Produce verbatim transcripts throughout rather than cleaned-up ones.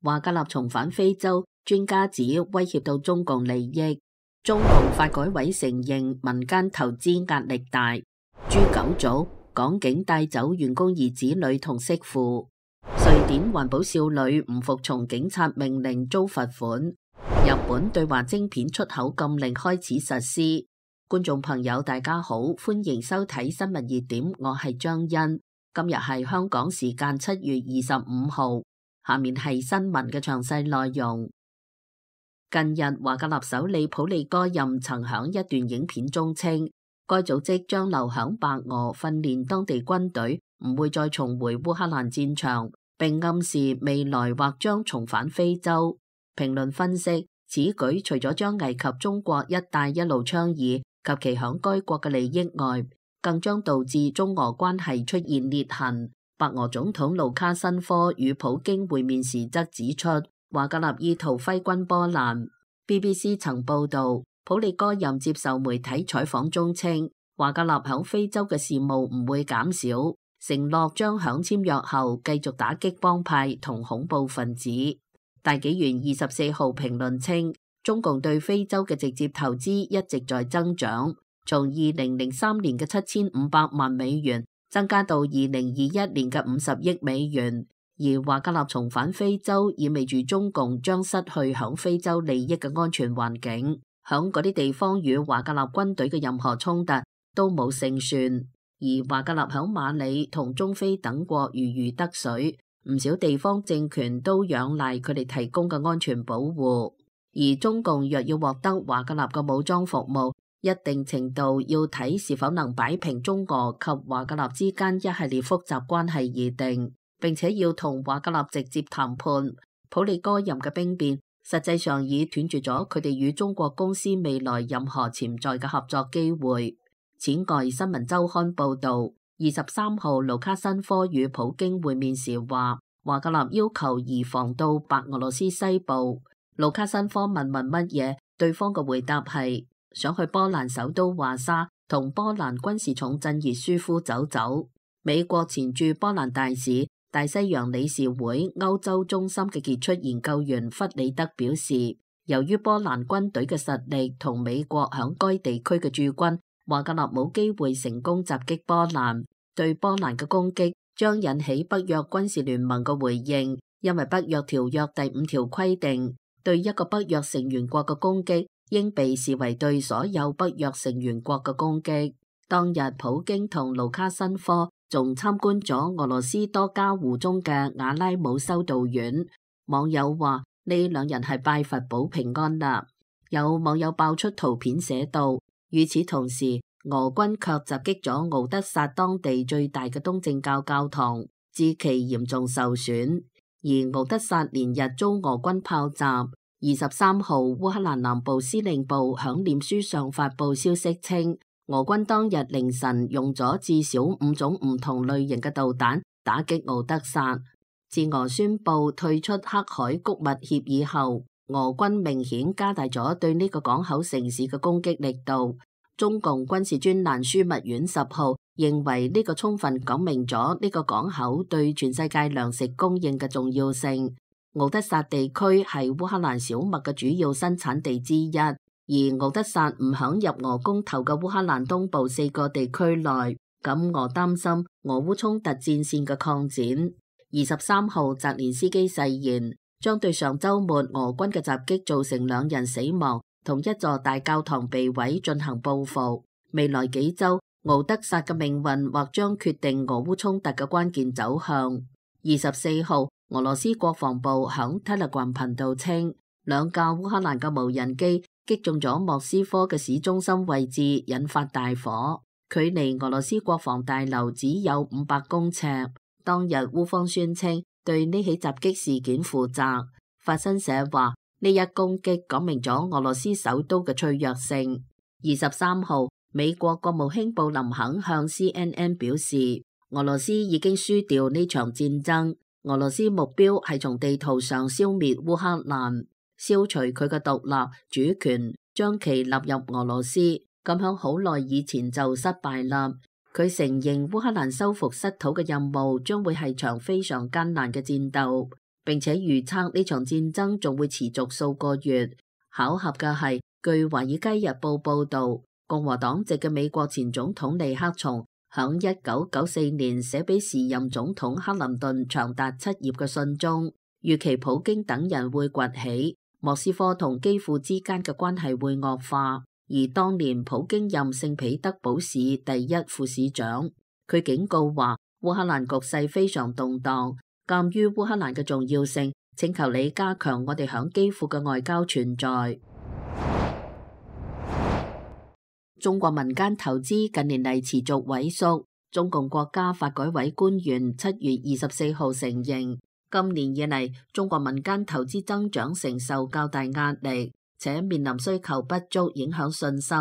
華格納重返非洲，專家指威脅到中共利益。中共發改委承認民間投資壓力大。誅九族，港警帶走員工兒子女同媳婦。瑞典環保少女唔服從警察命令遭罰款。日本對華晶片出口禁令開始實施。觀眾朋友大家好，歡迎收睇新聞熱點，我係張欣。今日係香港時間七月二十五號，下面係新聞嘅詳細內容。近日華格納首領普利戈任曾響一段影片中稱，該組織將留響白俄訓練當地軍隊，唔會再重回烏克蘭戰場，並暗示未來或將重返非洲。評論分析，此舉除咗將危及中國一帶一路倡議及其響該國嘅利益外，更將導致中俄關係出現裂痕。白俄總統盧卡申科與普京會面時則指出，華格納意圖揮軍波蘭。B B C 曾報道，普利戈任接受媒體採訪中稱，華格納響非洲嘅事務唔會減少，承諾將響簽約後繼續打擊幫派同恐怖分子。大紀元二十四號評論稱，中共對非洲嘅直接投資一直在增長，從二零零三年嘅七千五百萬美元增加到二零二一年嘅五十億美元。而華格納重返非洲，意味住中共將失去響非洲利益嘅安全環境，響嗰啲地方與華格納軍隊嘅任何衝突都冇勝算。而華格納響馬里同中非等國如魚得水，唔少地方政權都仰賴佢哋提供嘅安全保護。而中共若要獲得華格納嘅武裝服務，一定程度要睇是否能擺平中俄及華格納之間一系列複雜關係而定。並且要同華格納直接談判。普利戈任嘅兵變實際上已斷絕咗佢哋與中國公司未來任何潛在嘅合作機會。此外，新聞週刊報導，二十三號盧卡申科與普京會面時話，華格納要求移防到白俄羅斯西部。盧卡申科問問乜嘢，對方嘅回答係想去波蘭首都華沙同波蘭軍事重鎮熱舒夫走走。美國前駐波蘭大使、大西洋理事會歐洲中心嘅傑出研究員弗里德表示，由於波蘭軍隊嘅實力同美國響該地區嘅駐軍，華格納冇機會成功襲擊波蘭。對波蘭嘅攻擊將引起北約軍事聯盟嘅回應，因為北約條約第五條規定，對一個北約成員國嘅攻擊應被視為對所有北約成員國嘅攻擊。當日普京同盧卡申科仲參觀咗俄羅斯多家湖中嘅瓦拉姆修道院。網友話呢兩人係拜佛保平安啦。有網友爆出圖片寫道，與此同時，俄軍卻襲擊咗敖德薩當地最大嘅東正教教堂，致其嚴重受損。而敖德薩連日遭俄軍炮襲。二十三號，烏克蘭南部司令部響臉書上發布消息稱，俄軍當日凌晨用咗至少五種唔同類型嘅導彈打擊敖德薩。自俄宣布退出黑海谷物協議後，俄軍明顯加大咗對呢個港口城市嘅攻擊力度。中共軍事專欄樞密院十號認為呢個充分講明咗呢個港口對全世界糧食供應嘅重要性。敖德薩地區係烏克蘭小麥嘅主要生產地之一。而敖德薩唔響入俄公投嘅烏克蘭東部四個地區內，咁俄擔心俄烏衝突戰線嘅擴展。二十三號，澤連斯基誓言將對上週末俄軍嘅襲擊造成兩人死亡同一座大教堂被毀進行報復。未來幾週，敖德薩嘅命運或將決定俄烏衝突嘅關鍵走向。二十四號，俄羅斯國防部響 Telegram 頻道稱，兩架烏克蘭嘅無人機擊中咗莫斯科嘅市中心位置，引發大火，距離俄羅斯國防大樓只有五百公尺。當日烏方宣稱對呢起襲擊事件負責。法新社話呢一攻擊講明咗俄羅斯首都嘅脆弱性。二十三號，美國國務卿布林肯向 C N N 表示，俄羅斯已經輸掉呢場戰爭，俄羅斯目標係從地圖上消滅烏克蘭，消除佢嘅獨立主權，將其納入俄羅斯，咁響好耐以前就失敗啦。佢承認烏克蘭收復失土嘅任務將會係場非常艱難嘅戰鬥。並且預測呢場戰爭仲會持續數個月。巧合嘅係，據《華爾街日報》報導，共和黨籍嘅美國前總統尼克松響一九九四年寫俾時任總統克林頓長達七頁嘅信中，預期普京等人會崛起，莫斯科同基輔之間嘅關係會惡化。而當年普京任聖彼得堡市第一副市長，佢警告話烏克蘭局勢非常動盪，鑑於烏克蘭嘅重要性，請求你加強我哋響基輔嘅外交存在。中國民間投資近年嚟持續萎縮。中共國家發改委官員七月二十四號承認，今年以嚟中國民間投資增長承受較大壓力，且面臨需求不足影響信心、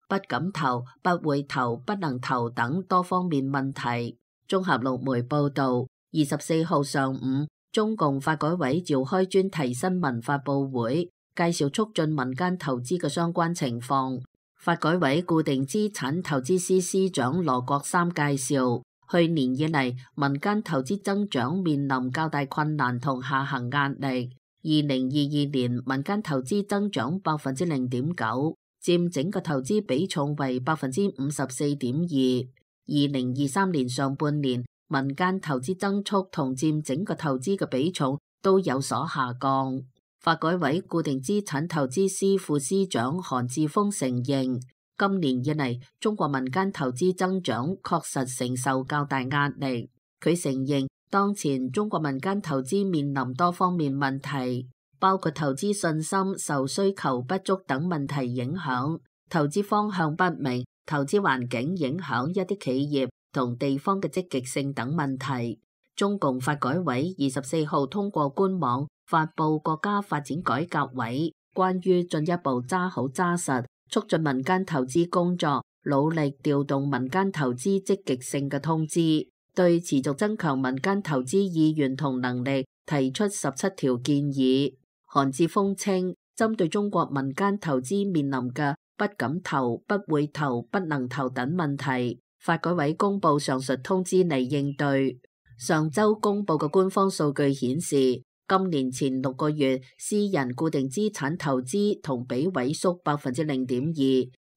不敢投、不會投、不能投等多方面問題。綜合陸媒報導，二十四號上午，中共發改委召開專題新聞發佈會，介紹促進民間投資嘅相關情況。發改委固定資產投資司司長羅國三介紹，去年以嚟民間投資增長面臨較大困難同下行壓力。二零二二年民間投資增長百分之零點九，佔整個投資比重為百分之五十四點二。二零二三年上半年民間投資增速同佔整個投資嘅比重都有所下降。發改委固定資產投資司副司長韓志峰承認，今年以嚟中國民間投資增長確實承受較大壓力。佢承認，當前中國民間投資面臨多方面問題，包括投資信心受需求不足等問題影響，投資方向不明，投資環境影響一啲企業同地方嘅積極性等問題。中共發改委二十四號通過官網發布國家發展改革委關於進一步揸好揸實促進民間投資工作，努力調動民間投資積極性嘅通知，對持續增強民間投資意願同能力提出十七條建議。韓志峰稱，針對中國民間投資面臨嘅不敢投、不會投、不能投等問題，發改委公布上述通知嚟應對。上週公布嘅官方數據顯示，今年前六個月私人固定資產投資同比萎縮百分之零點二，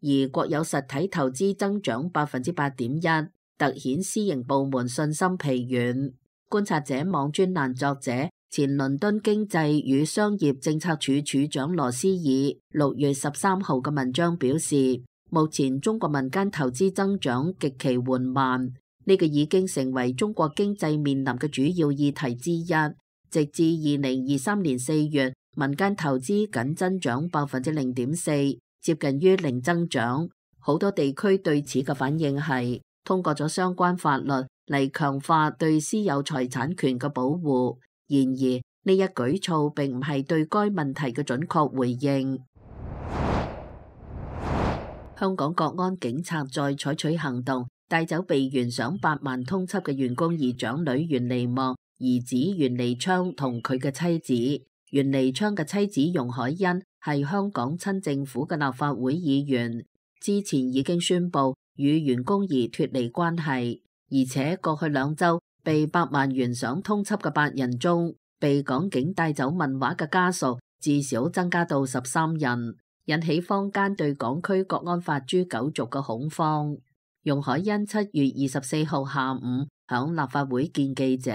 而國有實體投資增長百分之八點一，凸顯私營部門信心疲軟。觀察者網專欄作者、前倫敦經濟與商業政策處處長羅斯爾六月十三號嘅文章表示，目前中國民間投資增長極其緩慢。呢個已經成為中國經濟面臨嘅主要議題之一。直至二零二三年四月，民間投資僅增長百分之零點四，接近於零增長。好多地區對此嘅反應係通過咗相關法律嚟強化對私有財產權嘅保護。然而，呢一舉措並唔係對該問題嘅準確回應。香港國安警察再採取行動，帶走被懸賞八萬通緝嘅袁弓夷長女袁彌莫兒子袁彌昌同佢嘅妻子。袁彌昌嘅妻子容海恩係香港親政府嘅立法會議員，之前已經宣布與袁弓夷脫離關係，而且過去兩週被百萬懸賞通緝嘅八人中，被港警帶走問話嘅家屬至少增加到十三人，引起坊間對港區國安法誅九族嘅恐慌。容海恩七月二十四號下午響立法會見記者，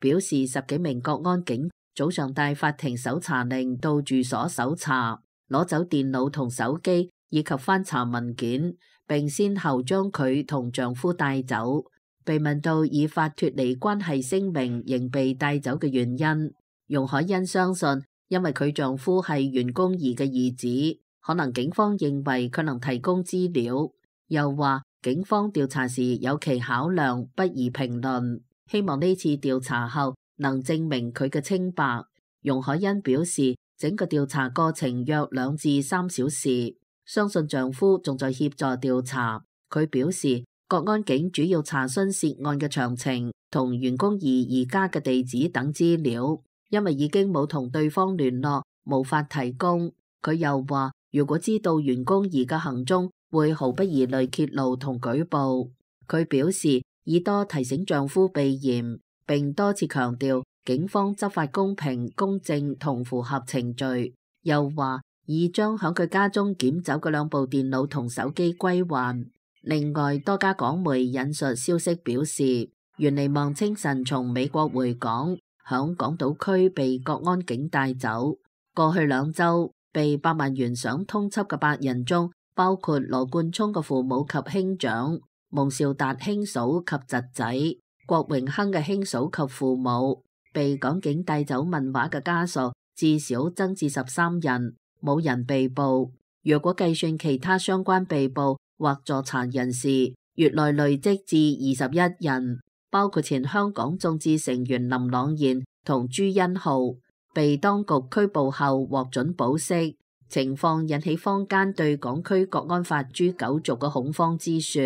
表示十幾名國安警早上帶法庭搜查令到住所搜查，攞走電腦同手機以及翻查文件，並先後將佢同丈夫帶走。被問到以法脫離關係聲明仍被帶走嘅原因，容海恩相信因為佢丈夫係袁弓夷嘅兒子，可能警方認為佢能提供資料，又話警方調查時有其考量，不宜評論，希望呢次調查後能證明佢嘅清白。容海恩表示，整個調查過程約兩至三小時，相信丈夫仲在協助調查。佢表示，國安警主要查詢涉案嘅詳情同袁弓夷而家嘅地址等資料，因為已經冇同對方聯絡，無法提供。佢又話，如果知道袁弓夷嘅行蹤，會毫不疑慮揭露同舉報。佢表示，已多提醒丈夫避嫌，並多次強調警方執法公平、公正同符合程序。又話已將響佢家中檢走嘅兩部電腦同手機歸還。另外，多家港媒引述消息表示，袁彌望清晨從美國回港，響港島區被國安警帶走。過去兩週被百萬元賞通緝嘅八人中，包括羅冠聰嘅父母及兄長、蒙兆達兄嫂及侄仔、郭榮鏗嘅兄嫂及父母。被港警帶走問話嘅家屬至少增至十三人，冇人被捕。若果計算其他相關被捕或助查人士，月內累積至二十一人，包括前香港眾志成員林朗彥同朱恩浩，被當局拘捕後獲准保釋。情況引起坊間對港區國安法誅九族嘅恐慌之說。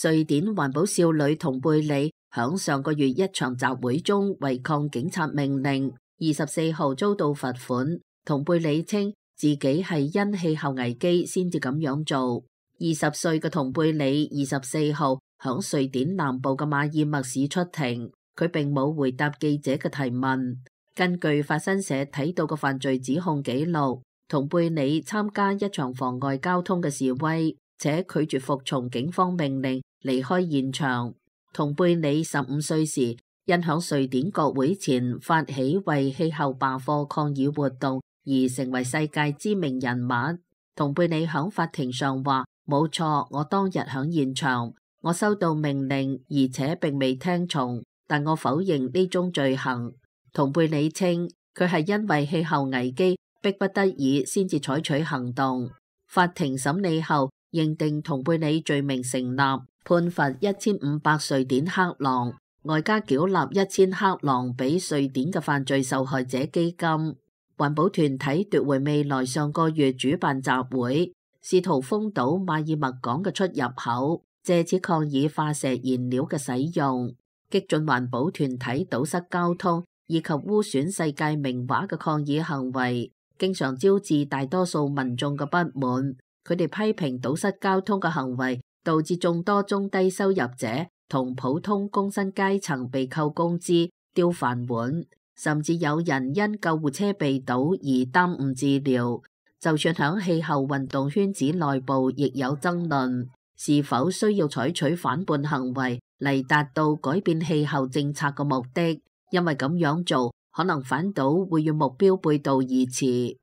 瑞典環保少女童貝里響上個月一場集會中違抗警察命令，二十四號遭到罰款。童貝里稱自己係因氣候危機先至咁樣做。二十歲嘅童貝里二十四號響瑞典南部嘅馬爾默市出庭，佢並冇回答記者嘅提問。根據法新社睇到嘅犯罪指控記錄，童貝里參加一場妨礙交通嘅示威，且拒絕服從警方命令離開現場。童貝里十五歲時，因響瑞典國會前發起為氣候罷課抗議活動而成為世界知名人物。童貝里響法庭上話：冇錯，我當日響現場，我收到命令，而且並未聽從，但我否認呢宗罪行。童貝里稱佢係因為氣候危機迫不得已先至採取行動。法庭審理後認定童貝里罪名成立，判罰一千五百瑞典克朗，外加繳納一千克朗俾瑞典嘅犯罪受害者基金。環保團體奪回未來上個月主辦集會，試圖封堵馬爾默港嘅出入口，借此抗議化石燃料嘅使用。激進環保團體堵塞交通以及污損世界名畫嘅抗議行為，經常招致大多數民眾嘅不滿。佢哋批評堵塞交通嘅行為導致眾多中低收入者同普通工薪階層被扣工資、丟飯碗，甚至有人因救護車被堵而耽誤治療。就算響氣候運動圈子內部，亦有爭論，是否需要採取反叛行為嚟達到改變氣候政策嘅目的，因為咁樣做可能反倒會與目標背道而馳。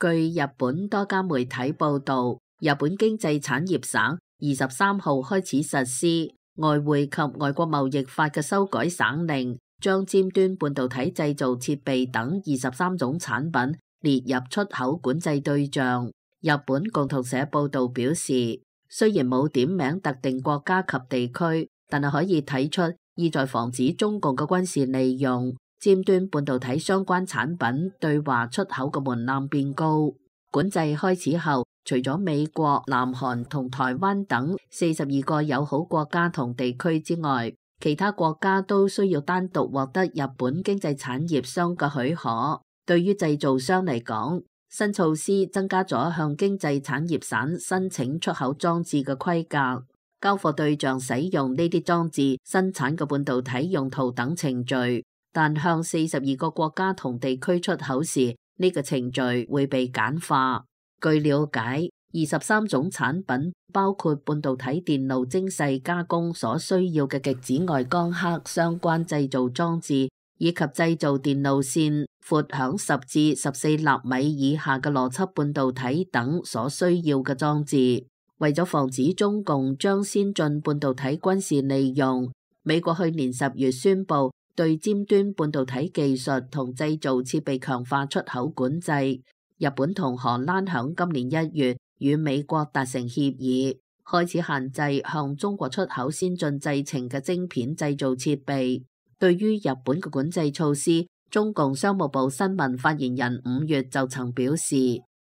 據日本多家媒體報道，日本經濟產業省二十三號開始實施外匯及外國貿易法嘅修改省令，將尖端半導體製造設備等二十三種產品列入出口管制對象。日本共同社報道表示，雖然冇點名特定國家及地區，但係可以睇出意在防止中共嘅軍事利用尖端半導體相關產品對華出口嘅門檻變高。管制開始後，除咗美國、南韓同台灣等四十二個友好國家同地區之外，其他國家都需要單獨獲得日本經濟產業商嘅許可。對於製造商嚟講，新措施增加咗向經濟產業省申請出口裝置嘅規格，交貨對象使用呢啲裝置生產嘅半導體用途等程序。但向四十二個國家同地區出口時，呢個程序會被簡化。據了解，二十三種產品包括半導體電路精細加工所需要嘅極紫外光刻相關製造裝置，以及製造電路線闊響十至十四納米以下嘅邏輯半導體等所需要嘅裝置。為咗防止中共將先進半導體軍事利用，美國去年十月宣布對尖端半導體技術同製造設備強化出口管制。日本同荷蘭響今年一月與美國達成協議，開始限制向中國出口先進製程嘅晶片製造設備。對於日本嘅管制措施，中共商務部新聞發言人五月就曾表示，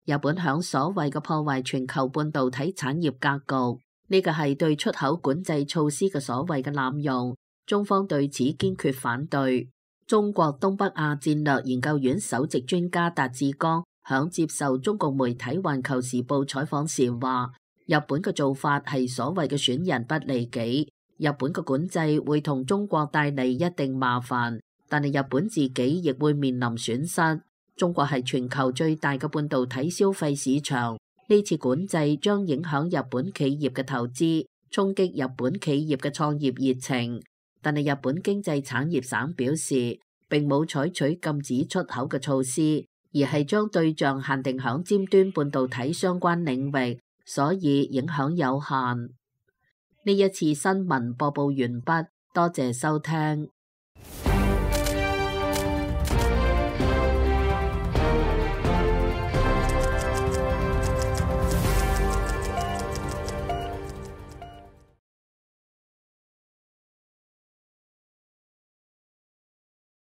日本響所謂嘅破壞全球半導體產業格局，呢個係對出口管制措施嘅所謂嘅濫用。中方對此堅決反對。中國東北亞戰略研究院首席專家達志剛響接受中共媒體《環球時報》採訪時話，日本嘅做法係所謂嘅損人不利己，日本嘅管制會同中國帶嚟一定麻煩，但係日本自己亦會面臨損失。中國係全球最大嘅半導體消費市場，呢次管制將影響日本企業嘅投資，衝擊日本企業嘅創業熱情。但係日本經濟產業省表示，並冇採取禁止出口嘅措施，而係將對象限定響尖端半導體相關領域，所以影響有限。呢一次新聞播報完畢，多謝收聽。